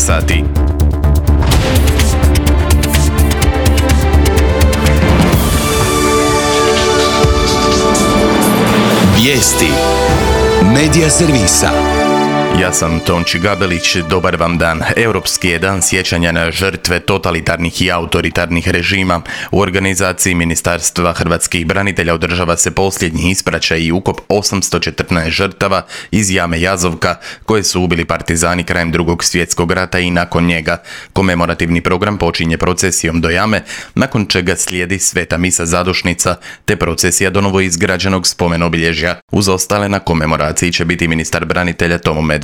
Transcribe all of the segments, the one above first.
sati. Vijesti Medija servisa. Ja sam Tonči Gabelić, dobar vam dan. Europski je dan sjećanja na žrtve totalitarnih i autoritarnih režima. U organizaciji Ministarstva hrvatskih branitelja održava se posljednji ispraćaj i ukop 814 žrtava iz jame Jazovka koje su ubili partizani krajem Drugog svjetskog rata i nakon njega. Komemorativni program počinje procesijom do jame, nakon čega slijedi sveta misa zadušnica te procesija do novoizgrađenog spomen-obilježja. Uz ostale na komemoraciji će biti ministar branitelja Tomo Medved.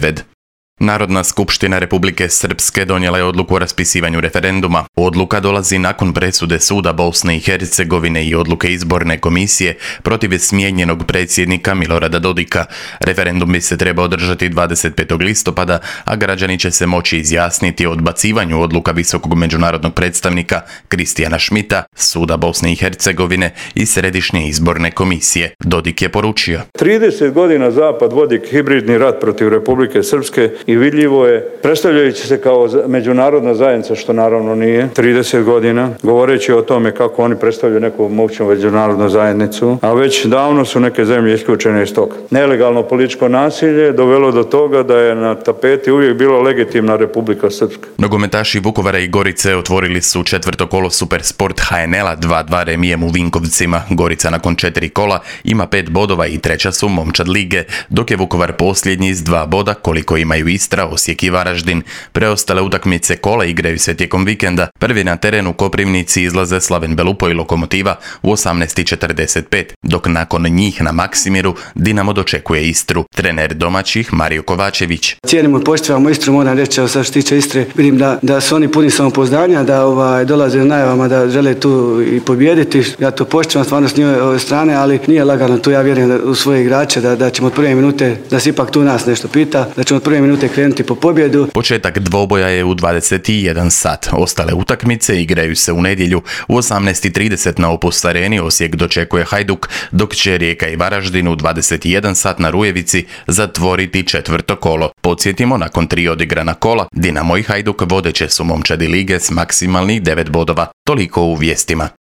Narodna skupština Republike Srpske donijela je odluku o raspisivanju referenduma. Odluka dolazi nakon presude suda Bosne i Hercegovine i odluke izborne komisije protiv smijenjenog predsjednika Milorada Dodika. Referendum bi se trebao održati 25. listopada, a građani će se moći izjasniti o odbacivanju odluka visokog međunarodnog predstavnika Kristijana Šmita, suda Bosne i Hercegovine i Središnje izborne komisije. Dodik je poručio: 30 godina Zapad vodi hibridni rat protiv Republike Srpske i vidljivo je, predstavljajući se kao međunarodna zajednica, što naravno nije, 30 godina, govoreći o tome kako oni predstavljaju neku moćnu međunarodnu zajednicu, a već davno su neke zemlje isključene iz toga. Nelegalno političko nasilje dovelo do toga da je na tapeti uvijek bila legitimna Republika Srpska. Nogometaši Vukovara i Gorice otvorili su četvrto kolo Supersport HNL-a 2-2 remijem u Vinkovcima. Gorica nakon 4 kola ima 5 bodova i treća su momčad lige, dok je Vukovar posljednji s 2 boda koliko imaju Istra, Osijek i Varaždin. Preostale utakmice kola igraju se tijekom vikenda. Prvi na terenu Koprivnici izlaze Slaven Belupo i Lokomotiva u 18:45, dok nakon njih na Maksimiru Dinamo dočekuje Istru. Trener domaćih Mario Kovačević: cijenimo i poštivamo Istru, moram reći, sad što se tiče Istre, vidim da su oni puni samopouzdanja, da dolaze najavama da žele tu i pobijediti. Ja to poštivam stvarno s njihove strane, ali nije lagano tu. Ja vjerujem u svoje igrače da ćemo od prve minute, da se ipak tu nas nešto pita, da ćemo od prve minute krenuti po pobjedu. Početak dvoboja je u 21 sat. Ostale utakmice igraju se u nedjelju u 18:30 na Opus Areni. Osijek dočekuje Hajduk, dok će Rijeka i Varaždin u 21 sat na Rujevici zatvoriti četvrto kolo. Podsjetimo, nakon 3 odigrana kola, Dinamo i Hajduk vodeće su momčadi lige s maksimalnih 9 bodova. Toliko u vijestima.